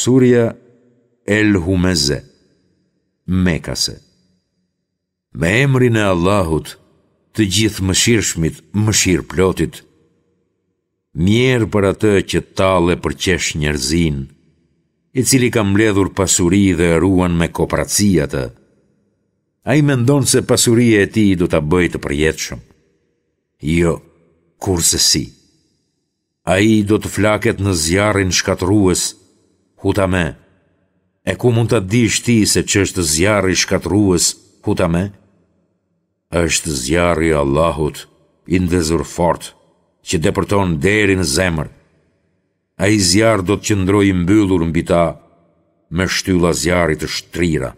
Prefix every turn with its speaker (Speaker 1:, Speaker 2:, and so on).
Speaker 1: Surja El Humeze, Mekase. Me emrin e Allahut, të Gjithëmëshirshmit, mëshirëplotit, mjerë për atë që tall e përqesh njerëzinë, i cili ka mbledhur pasuri dhe e ruan me koprraci atë. Ai mendon se pasuria e tij do ta bëjë të përjetshëm. Jo, kurrsesi. Ai do të flaket në zjarrin shkatërrues, Hutame. E ku mund ta dish ti se ç'është zjarri shkatërrues, Hutame? Është zjarri i Allahut, i ndezur fort, që depërton deri në zemër. Ai zjarr do të qëndrojë i mbyllur mbi ta me shtylla zjarri të shtrira.